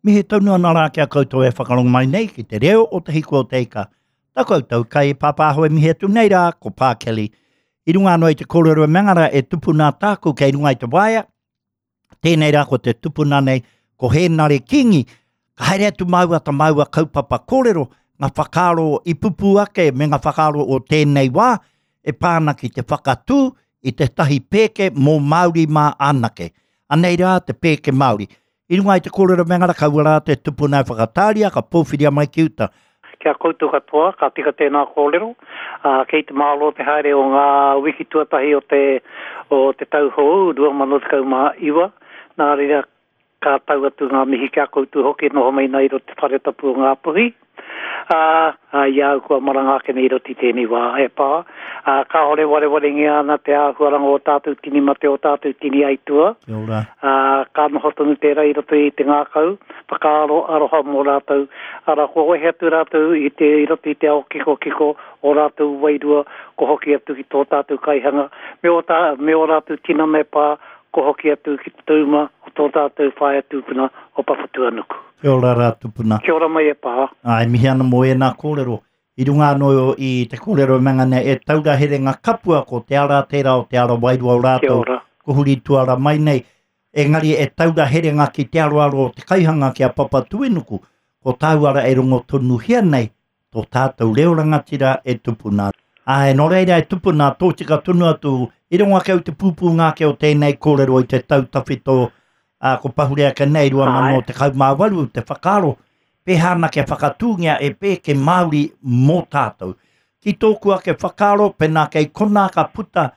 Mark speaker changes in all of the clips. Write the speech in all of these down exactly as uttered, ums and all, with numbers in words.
Speaker 1: Mihi tonu ana rā ki a koutou e whakarongo mai nei ki te reo o Te Hiku o Te Ika. Tā koutou kai pāpāho e mihi atu nei rā, ko Pā Kelly. I runga anō i te kōrero e mengara e tupuna tāku kei runga i te waea. Tēnei rā ko te tupuna nei, ko Hēnare Kingi. Ka haere atu māua ta māua kaupapa kōrero, ngā whakaaro i pupū ake me ngā whakaaro o tēnei wā e pā ana ki te whakatū i tētahi pēke mō Māori mā anake. Anei rā te pēke Māori. I runga i te kōrero me ngara kaua rā te tupuna e whakatāria ka pōwhiria mai ki uta.
Speaker 2: Kia koutou katoa, ka tika tēnā kōrero, ā, kei te māro te haere o ngā wiki tuatahi o te, o te tau hou, rua mano tekau mā iwa, nā reira ka tau atu ngā mihi ki a koutou hoki e noho mai nei i roto te whare tapu o Ngāpuhi, ā, ā, i a au kua maranga ake nei i roto i tēnei wā e pā, ā, kāore warewarengia ana te āhuaranga o tātou tini mate, o tātou tini aitua.
Speaker 1: Kia ora.
Speaker 2: Ā, ka noho tonu tērā i roto i te ngākau, whakaaro aroha mō rātou, arā, kua wehe atu rātou i te, i roto i te ao kikokiko, ō rātou wairua, kua hoki atu ki tō tātou kaihanga, me ō tā, me ō rātou tinana e pā, kua hoki atu ki te tauma o tō tātou whaea tūpuna o Papatūānuku.
Speaker 1: Kia ora rā tupuna.
Speaker 2: Kia ora mai e pā.
Speaker 1: Ā, e mihi ana mō ēnā kōrero. I runga anō i te kōrero e manga nei, e taura herenga kapua ko te ara tērā o te ara wairua o rātou.
Speaker 2: Kia ora.
Speaker 1: Ko huri tuara mai nei. Engari e taura herenga ki te aroaro o te kaihanga ki a Papatūānuku, ko tāu ara e rongo tonuhia nei, tō tātou reo rangatira e tupuna. Āe, nō reira e tupuna, tōtika tonu atu, i rongo ake au te pūpūnga ake o tēnei kōrero i te tau tawhito, ā, ko pahure ake nei, rua mano tekau mā waru, te whakaaro, pēhā ana kia whakatūngia e pēke Māori mō tātou. Ki tōku ake whakaaro, pēnā kei konā ka puta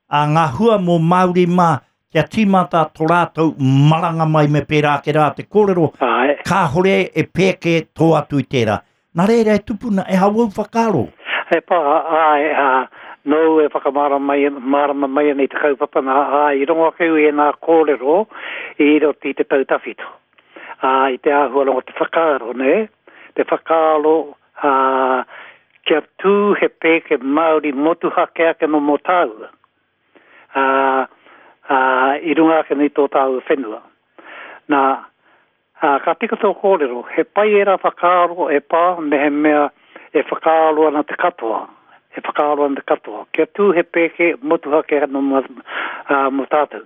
Speaker 1: a ngā hua mō Māori mā, kia tīmata tō rātou maranga mai me pērā ake rā te kōrero,
Speaker 2: Āe.
Speaker 1: kāhore e pēke tō atu i tērā. Nā reira e tupuna, e hau au whakaaro.
Speaker 2: E pā, āe, ā, nōu e whakamārama mai, mārama mai ana i te kaupapa nā, āe, i rongo ake au i ēnā kōrero i roto i te tau tawhito. Ā, i te āhuaranga o te whakaaro, nē, te whakaaro, ā, kia tū he pēke Māori motuhake ake nō mō tāua, ā, ā, i runga ake nei tō tāua whenua. Nā, ā, ka tika tō kōrero, he pai ērā whakaaro e pā mehemea e whakaaro ana te katoa, e whakaaro ana te katoa. Kia tū he pēke motuhake anō mō, ā, mō tātou.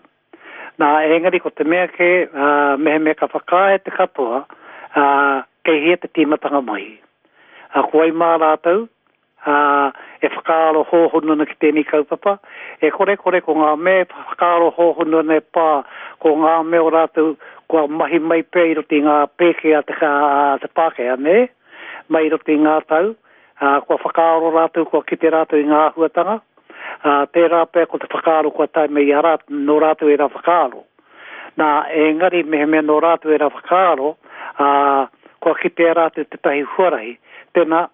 Speaker 2: Nā, engari ko te mea kē, ā, mehemea ka whakaae te katoa, ā, kei hea te tīmatanga mai. Ā, ko wai mā rātou, ā, e whakaaro hōhonu ana ki tēnei kaupapa, e kore kore ko ngā mea e whakaaro hōhonu ana e pā, ko ngā mea o rātou kua mahi mai pea i roto i ngā pēke a te, a te Pākehā, nē, mai i roto i ngā tau, ā, kua whakaaro rātou, kua kite rātou i ngā āhuatanga, ā, tērā pea ko te whakaaro kua tae mai i a rātou, nō rātou ērā whakaaro. Nā, engari mehemea nō rātou ērā whakaaro, ā, kua kitea rātou tētahi huarahi, tēnā,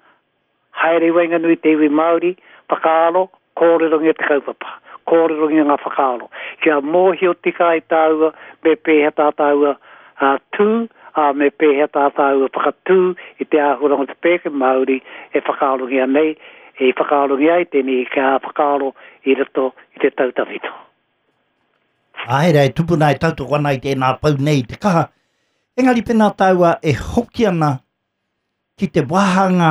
Speaker 2: haere i waenganui te iwi Māori, whakaaro, kōrerongia te kaupapa, kōrerongia ngā whakaaro, kia mōhio tika ai tāua me pēhea tā tāua, ā, tū, ā, me pēhea tā tāua whakatū i te āhuaranga o te pēke Māori e whakaarongia nei, i whakaarongia ai tēnei kia whakaaro i roto i te tau tawhito.
Speaker 1: Āe rā, e tupuna e tautoko ana i tēnā pau nei i te kaha. Engari pēnā tāua e hoki ana ki te wāhanga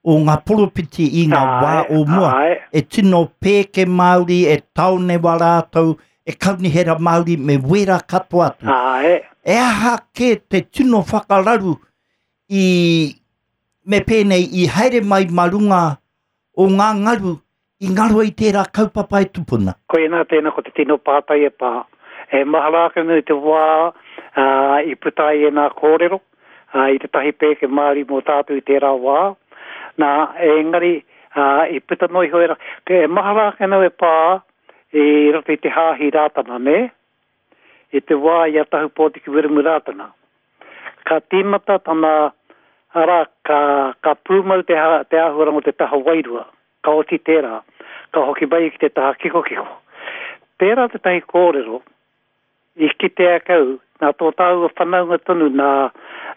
Speaker 1: o ngā poropiti i ngā wā o mua.
Speaker 2: Āe.
Speaker 1: E tino pēke Māori, e taonewa rātou, e kaunihera Māori me wera katoa atu.
Speaker 2: Āe.
Speaker 1: E aha kē te tino whakararu i me pēnei i haere mai mā runga o ngā ngaru i ngaro i tērā kaupapa e tupuna?
Speaker 2: Koinā tēnā ko te tino pātai e pā. E mahara ake nei te wā, ā, i puta ai ēnā kōrero, ā, i tētahi pēke Māori mō tātou i tērā wā. Nā, engari, ā, i puta noa iho ērā, e mahara ake nau e pā i roto i te hāhi Rātana, nē? I te wā i a Tahu Pōtiki Wiremu Rātana. Ka tīmata tana, arā, ka, ka pūmau te, ha, te āhuaranga o te taha wairua, ka oti tērā, ka hoki mai ki te taha kikokiko. Tērā tētahi kōrero i kitea ake au, nā tō tāua whanaunga tonu nā,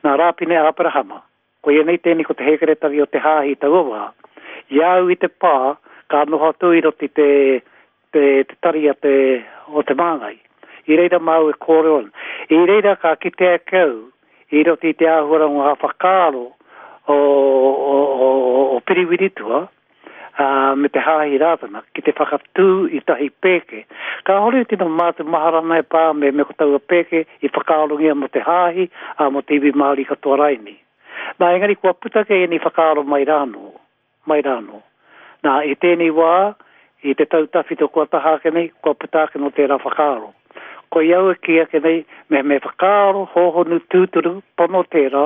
Speaker 2: nā Rāpine Aperahama, koia nei tēnei ko te hēkeretari o te hāhi i taua wā, i a au i te pā, ka noho atu i roto i te, te, te tari a te, o te māngai. I reira māu e kōrero ana. I reira ka kitea ake au i roto i te āhuaranga o ngā whakaaro o, o, o, o Piriwiritua, ā, me te Hāhi Rātana ki te whakatū i tahi pēke. Kāhore i tino mātu maharana e pā me me ko taua pēke i whakaarongia mō te Hāhi, ā, mō te iwi Māori katoa raini. Nā, engari kua puta kē ēnei whakaaro mai rānō, mai rānō. Nā, i tēnei wā, i te tau tawhito kua taha ake nei, kua puta ake nō tērā whakaaro. Koia au e kī ake nei, me me whakaaro hōhonu tūturu, pono tērā,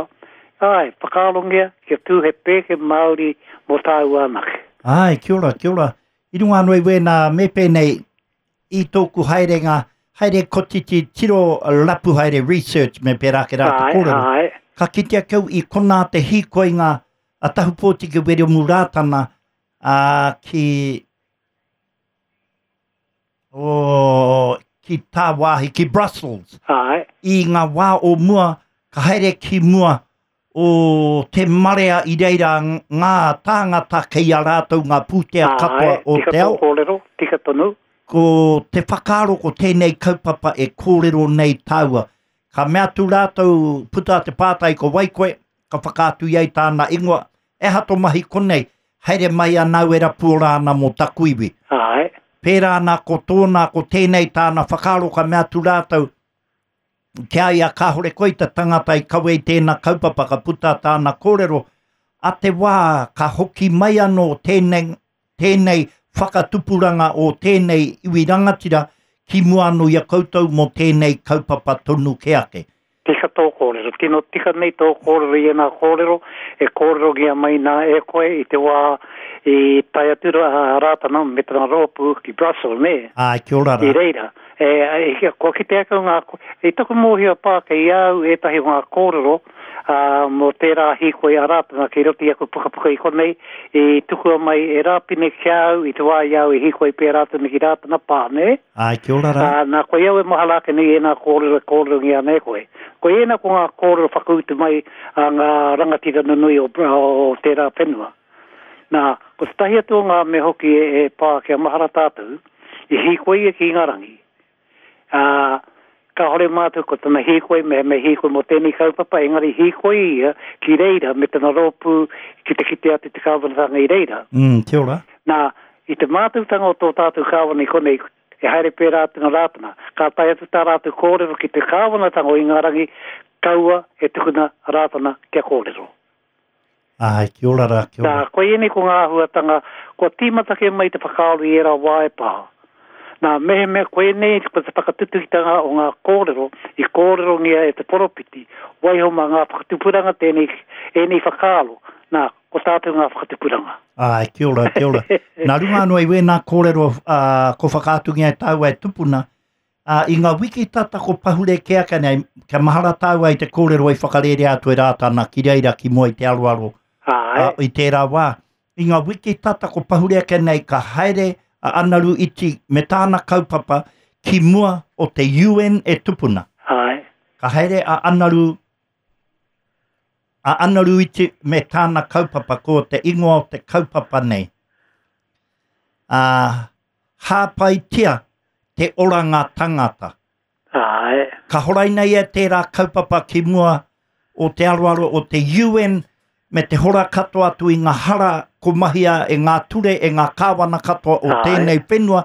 Speaker 2: āe, whakaarongia kia tū he pēke Māori mō tāua anake.
Speaker 1: Āe, kia ora, kia ora. I runga anō i wēnā me pēnei i tōku haerenga, haere kotiti tiro rapu haere research me pērā ake rā te
Speaker 2: Āe,
Speaker 1: kōrero.
Speaker 2: āe.
Speaker 1: Ka kitea kau i konā te hīkoinga a Tahupōtiki Wiremu Rātana ā, ki, oh, ki tāwāhi, ki Brussels.
Speaker 2: Āe.
Speaker 1: I ngā wā o mua, ka haere ki mua o te marea i reira ngā tāngata kei a rātou ngā pūtea katoa
Speaker 2: Āe,
Speaker 1: o
Speaker 2: tika
Speaker 1: te
Speaker 2: tō
Speaker 1: ao.
Speaker 2: kōrero, tika tonu.
Speaker 1: Ko te whakaaro ko tēnei kaupapa e kōrero nei tāua. Ka mea atu rātou puta te pātai ko wai koe, ka whakaatu i ai tāna ingoa. E aha tō mahi konei, haere mai anau e rapu ora ana mō taku iwi.
Speaker 2: Āe.
Speaker 1: Pērā ana ko tōna, ko tēnei tāna whakaaro ka mea atu rātou, kia ia kāhore koe te tangata i kawe i tēnā kaupapa ka puta tāna kōrero, a te wā ka hoki mai anō tēnei, tēnei whakatupuranga o tēnei iwi rangatira ki mua anō i a koutou mō tēnei kaupapa tonu ke ake.
Speaker 2: Tika tō kōrero, tino tika nei tō kōrero i ēnā kōrero, e kōrerongia mai nā e koe i te wā i tae atu rā Rātana me tana rōpū ki Brussels, nē?
Speaker 1: Āe, kia ora rā.
Speaker 2: I reira, e, e, kua kite ake ngā, i taku mōhio pā kei a au ētahi o ngā kōrero ā, mō tērā hīkoi a Rātana kei roto i aku pukapuka i konei, i tukua mai e Rāpine ki a au i te wā i a au i hīkoi pērā tonu ki Rātana pā, nē?
Speaker 1: Āe, kia ora rā.
Speaker 2: Ā, nā, koia au e mahara ake nei ēnā kōrero e kōrerongia ana e koe. Ko ēnā ko ngā kōrero whakautu mai a ngā rangatira nunui o, o tērā whenua. Nā, ko tētahi atu o ngā mea hoki e, e pā kia mahara tātou, i hīkoi ia ki Ingarangi. Ā, kāhore mātou ko tana hīkoi me, me hīkoi mō tēnei kaupapa, engari hīkoi ia ki reira me tana rōpū ki te kite atu te kāwanatanga i reira.
Speaker 1: Mm, kia ora.
Speaker 2: Nā, i te mātautanga o tō tātou kāwana i konei, e haere pērā atu nā Rātana, ka tae atu tā rātou kōrero ki te kāwanatanga o Ingarangi, kaua e tukuna Rātana kia kōrero.
Speaker 1: Āe, kia ora rā, kia
Speaker 2: Nā,
Speaker 1: ora.
Speaker 2: koia nei ko ngā āhuatanga, kua tīmata kē mai te whakaaro i ērā wā e pā. Nā, mehemea koinei ko te whakatutukitanga o ngā kōrero i kōrerongia e te poropiti, waiho mā ngā whakatupuranga tēnei, ēnei whakaaro, nā, ko tātou ngā whakatupuranga.
Speaker 1: Āe, kia ora, kia ora. Nā runga anō i wēnā kōrero ā, ko whakaatungia e tāua e tupuna, ā, i ngā wiki tata ko pahure kē ake nei, kia mahara tāua i te kōrero i whakarērea atu e Rātana ki reira ki mua i te aroaro
Speaker 2: Āe.
Speaker 1: ā, i tērā wā. I ngā wiki tata ko pahure ake nei ka haere a Anaru Iti me tāna kaupapa ki mua o te U N e tupuna.
Speaker 2: Āe.
Speaker 1: Ka haere a Anaru, a Anaru Iti me tāna kaupapa, ko te ingoa o te kaupapa nei. Ā, hāpaitia te oranga tangata.
Speaker 2: Āe.
Speaker 1: Ka horaina ia tērā kaupapa ki mua o te aroaro o te U N me te hora katoa atu i ngā hara ko mahia e ngā ture e ngā kāwana katoa o
Speaker 2: Āe.
Speaker 1: tēnei whenua,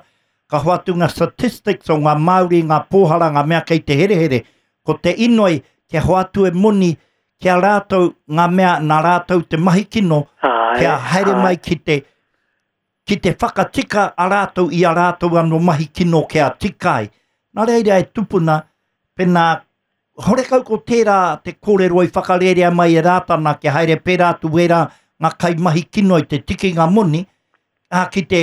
Speaker 1: ka hoatu ngā statistics o ngā Māori, ngā pōhara, ngā mea kei te herehere. Ko te inoi kia hoatu e moni kia rātou ngā mea nā rātou te mahi kino,
Speaker 2: Āe,
Speaker 1: kia haere
Speaker 2: āe.
Speaker 1: mai ki te, ki te whakatika a rātou i a rātou anō mahi kino kia tika ai. Nā reira e tupuna, pēnā, horekau ko tērā te kōrero i whakarērea mai e Rātana kia haere pērā atu wērā ngā kaimahi kino i te tikinga moni, ā, ki te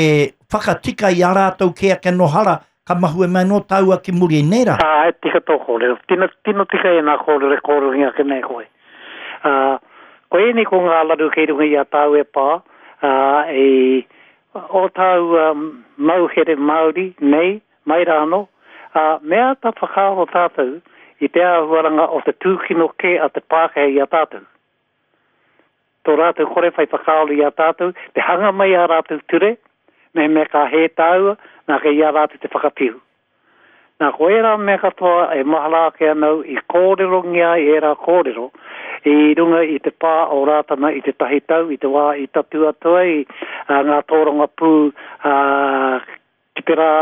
Speaker 1: whakatika i a rātou ki ake no hara, ka mahue mai no tāua ki muri nei rā.
Speaker 2: Āe, tika tō kōrero. Tino, tino tika e nā kōrero e kōrerongia ake nei koe. Ā, ko ēnei ko ngā laru kei runga i a tāu e pā, ā, i o tāu um, mauhere Māori nei, mai rāno, ā, me āta whakaaro tātou i te āhuaranga o te tūkino kē a te Pākehā i a tātou. Tō rātou kore whai whakaaro i a tātou, te hanga mai a rātou ture, me me ka hē tāua, nā kei a rātou te whakawhiu. Nā, ko ērā mea katoa e mahara ake ana au i kōrerongia ai ērā kōrero i runga i te pā o Rātana i te tahi tau, i te wā i tatū atu ai ngā tōrangapū ki te rā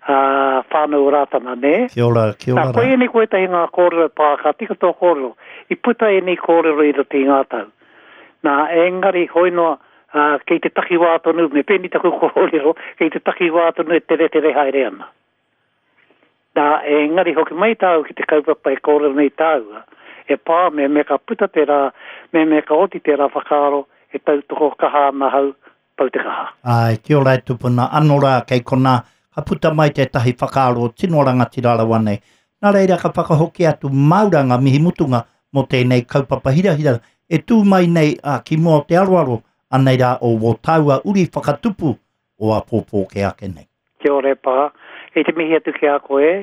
Speaker 2: whānau o Rātana, nē?
Speaker 1: Kia ora, kia ora
Speaker 2: rā. Nā, koianei ko ētahi ngā kōrero e pā, ka tika tō kōrero, i puta ēnei kōrero i roto i ngā tau. Nā, engari, hoi noa, kei te takiwā tonu, me pēnei taku kōrero, kei te takiwā tonu e teretere haere ana. Nā, engari hoki mai tāu ki te kaupapa e kōrero nei tāua, e pā, me me ka puta tērā, me me ka oti tērā whakaaro, e tautoko kaha ana ahau, pau te kaha.
Speaker 1: Āe, kia ora e tupuna, anō rā kei konā, ka puta mai tētahi whakaaro tino rangatira rawa nei. Nā reira ka whakahoki atu māu rā ngā mihi mutunga mō tēnei kaupapa hirahira e tū mai nei ā, ki mua o te aroaro, anei rā o wō tāua uri whakatupu o āpōpō kē ake nei.
Speaker 2: Kia ora e pā. Kei te mihi atu ki a koe,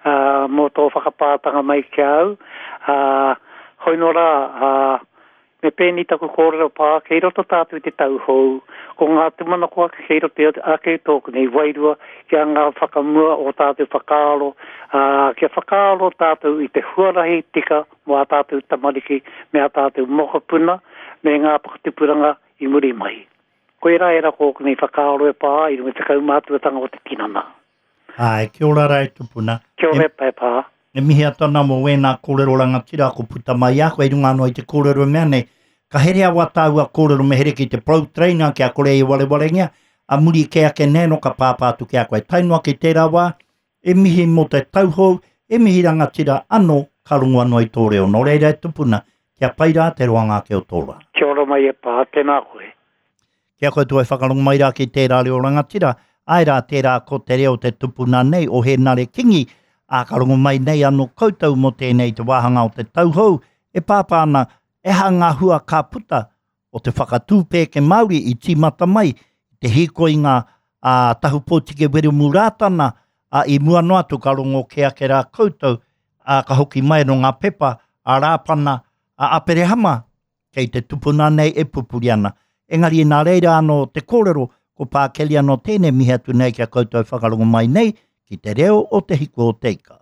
Speaker 2: ā, mō tō whakapātanga mai ki a au. Ā, hoi nō rā, ā, me pēnei taku kōrero pā, kei roto tātou i te tau hou, ko ngā tūmanako ake kei roto ake i tōku nei wairua kia anga whakamua ō tātou whakaaro, ā, kia whakaaro tātou i te huarahi tika mō ā tātou tamariki me ā tātou mokopuna me ngā whakatupuranga i muri mai. Koirā ērā ko ōku nei whakaaro e pā ai i runga i te kaumātuatanga o te tinana.
Speaker 1: Āe, kia ora rā e tupuna.
Speaker 2: Kia ora e pā.
Speaker 1: E mihi atu ana mō wēnā kōrero rangatira ko puta mai i a koe i runga anō i te kōrero e mea nei, ka herea wā tāua kōrero me here ki te Pro Trainer kia kore e warewarengia, a muri kē ake nei anō ka pāpā atu ki a koe. Tae noa ki tērā wā, e mihi mō te tauhou, e mihi rangatira anō ka rongo anō i tō reo. Nō reira e tupuna, kia pai rā te roanga ake o tō rā.
Speaker 2: Kia ora mai e pā, tēnā koe.
Speaker 1: Ki a koutou e whakarongo mai rā ki tērā reo rangatira, āe rā tērā ko te reo te tupuna nei o Hēnare Kingi, ā, ka rongo mai nei anō koutou mō tēnei te wāhanga o te tau hou e pāpā ana e aha ngā hua ka puta o te whakatū pēke Māori i tīmata mai i te hīkoinga a Tahupōtiki Wiremu Rātana, ā, i mua noa atu ka rongo kē ake rā koutou, ā, ka hoki mai anō ngā pepa a Rāpana, a Aperehama, kei te tupuna nei e pupuri ana. Engari nā reira anō te kōrero, ko Pā Kelly anō tēnei mihi atu nei ki a koutou e whakarongo mai nei ki te reo o Te Hiku o Te Ika.